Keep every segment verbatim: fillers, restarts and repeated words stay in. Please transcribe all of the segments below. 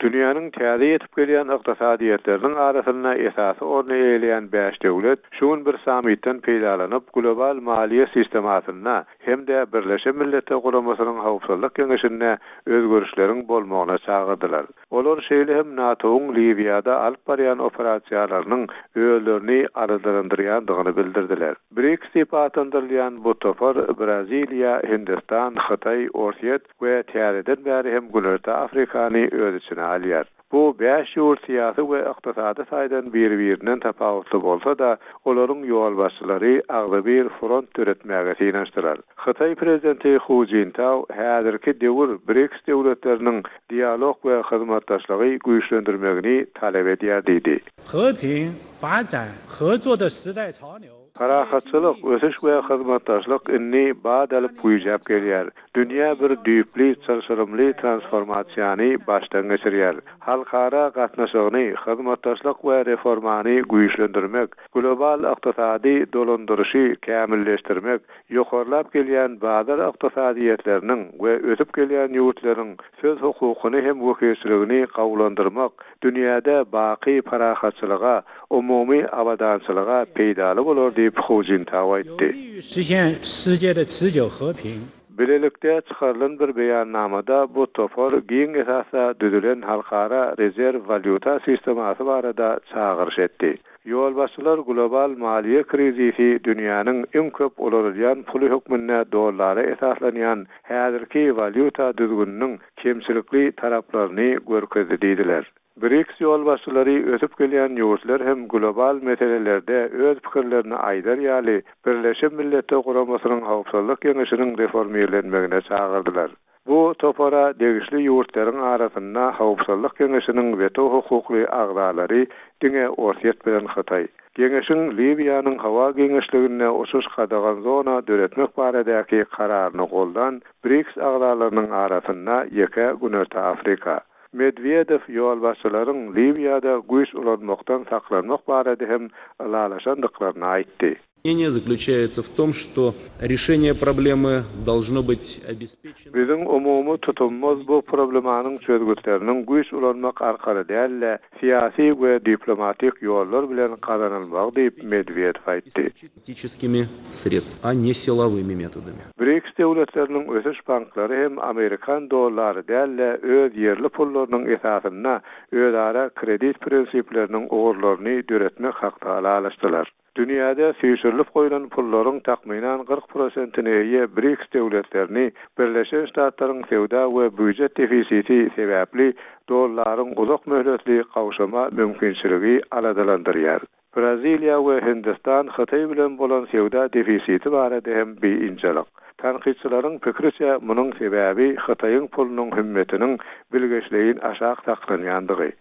Dünýäniň täze ýetip gelýän ykdysadyýetleriniň arasynda esasy orny eýeleýän bäş döwlet şu gün bir sammitden peýdalanyp, global maliýe sistemasynda hem-de Birleşen Milletler Guramasynyň Howpsuzlyk Geňeşinde özgerişleriň bolmagyna çagyrdylar. Olar şeýle hem NATO-nyň Liwiýada alyp barýan operasiýalarynyň özlerini aladalandyrýandygyny bildirdiler. BRICS diýip atlandyrylýan bu topar Braziliýa, Hindistan, Hytaý, Orsýet we täzeden bäri hem Günorta Afrikany öz içine alýar. Bu bäş ýurt syýasy we ykdysady taýdan bir-birinden tapawutly bolsa-da, olaryň ýolbaşçylary agzybir front döretmäge synanyşdylar. Hytaý prezidenti Hu Jintao häzirki döwür BRICS döwletleriniň dialog we hyzmatdaşlygy güýçlendirmegini talap edýär diýdi. 和平、发展、合作的时代潮流。 Parahatçylyk, ösüş we hyzmatdaşlyk indi bat alyp güýjäp gelýär. Dünýä bir düýpli çylşyrymly transformasiýany başdan geçirýär. Halkara gatnaşygyny, hyzmatdaşlyk we reformany güýçlendirmek, global ykdysady dolandyryşy kämilleşdirmek, ýokarlap gelýän bazar ykdysadyýetleriniň we ösüp gelýän ýurtlaryň söz hukukyny hem wekilçiligini gowulandyrmak, dünýäde baky parahatçylyga, umumy abadançylyga peýdaly bolar diýip Hu Jintao 有 aýtdy. 利于实现世界的持久和平。 Bilelikde çykarylan bir beýannamada bu topar giň esasda düzülen halkara rezerw walýuta sistemasy barada çagyryş etdi. Ýolbaşçylar global maliýe krizisi dünýäniň iň köp ulanylýan puly hökmünde dollara esaslanýan häzirki walýuta düzgüniniň kemçilikli taraplaryny görkezdi diýdiler. BRICS ýolbaşçylary ösüp gelýän ýurtlar hem global meselelerde öz pikirlerini aýdar ýaly Birleşen Milletler Guramasynyň Howpsuzlyk Geňeşiniň reformirlenmegine çagyrdylar. Bu topara degişli ýurtlaryň arasynda Howpsuzlyk Geňeşiniň weto hukukly agzalary diňe Orsýet bilen Hytaý. Geňeşiň Liwiýanyň howa giňişliginde uçuş gadagan zona döretmek baradaky kararyny goldan BRICS agzalarynyň arasynda ýeke Günorta Afrika. Medwedew ýolbaşçylaryň Liwiýada güýç ulanmakdan saklanmak barada hem ylalaşandyklaryny aýtdy. Мнение заключается в том, что решение проблемы должно быть обеспечено Biziň umumy tutumymyz bu problemanyň çözgütleriniň güýç ulanmak arkaly däl-de, syýasy we diplomatik ýollar bilen gazanylmagy diýip Medwedew aýtdy. политическими средствами, а не силовыми методами. BRICS döwletleriniň ösüş banklary hem Amerikan dollary däl-de öz ýerli pullarynyň esasynda özara kredit prinsipleriniň ugurlaryny döretmek hakda ylalaşdylar. Dünýäde süýşürilip goýlan pullaryň takmynan kyrk prosentine eýe BRICS döwletlerini Birleşen Ştatlaryň söwda we býujet defisiti sebäpli dollaryň uzak möhletli gowşama mümkinçiligi aladalandyrýar. Braziliýa we Hindistan Hytaý bilen bolan söwda defisiti barada hem biynjalyk. Tankytçylaryň pikiriçe munuň sebäbi Hytaýyň pulunyň hümmetiniň bilgeşleýin aşak saklanýandygy.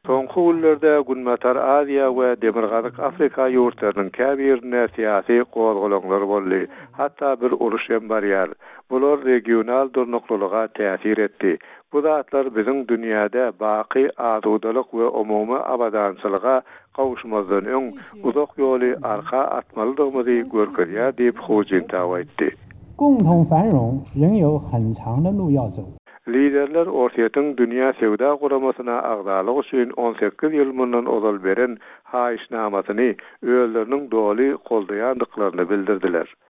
Soňky günlerde Günbatar Aziýa we Demirgazyk Afrika ýurtlarynyň käbirinde syýasy gozgalaňlar boldy. Hatda bir uruş hem barýar. Bular regional durnuklylyga täsir etdi. Bu zatlar biziň dünýäde baky asudalyk we umumy abadançylyga gowuşmazdan öň uzak ýoly arka atmalydygymyzy görkezýär diýip Hu Jintao aýtdy. 共同繁荣仍有很长的路要走。 Liderler Orsýetiň Dünýä Söwda Guramasyna agzalyk üçin on sekiz ýyl mundan ozal beren haýyşnamasyny özleriniň doly goldaýandyklaryny bildirdiler.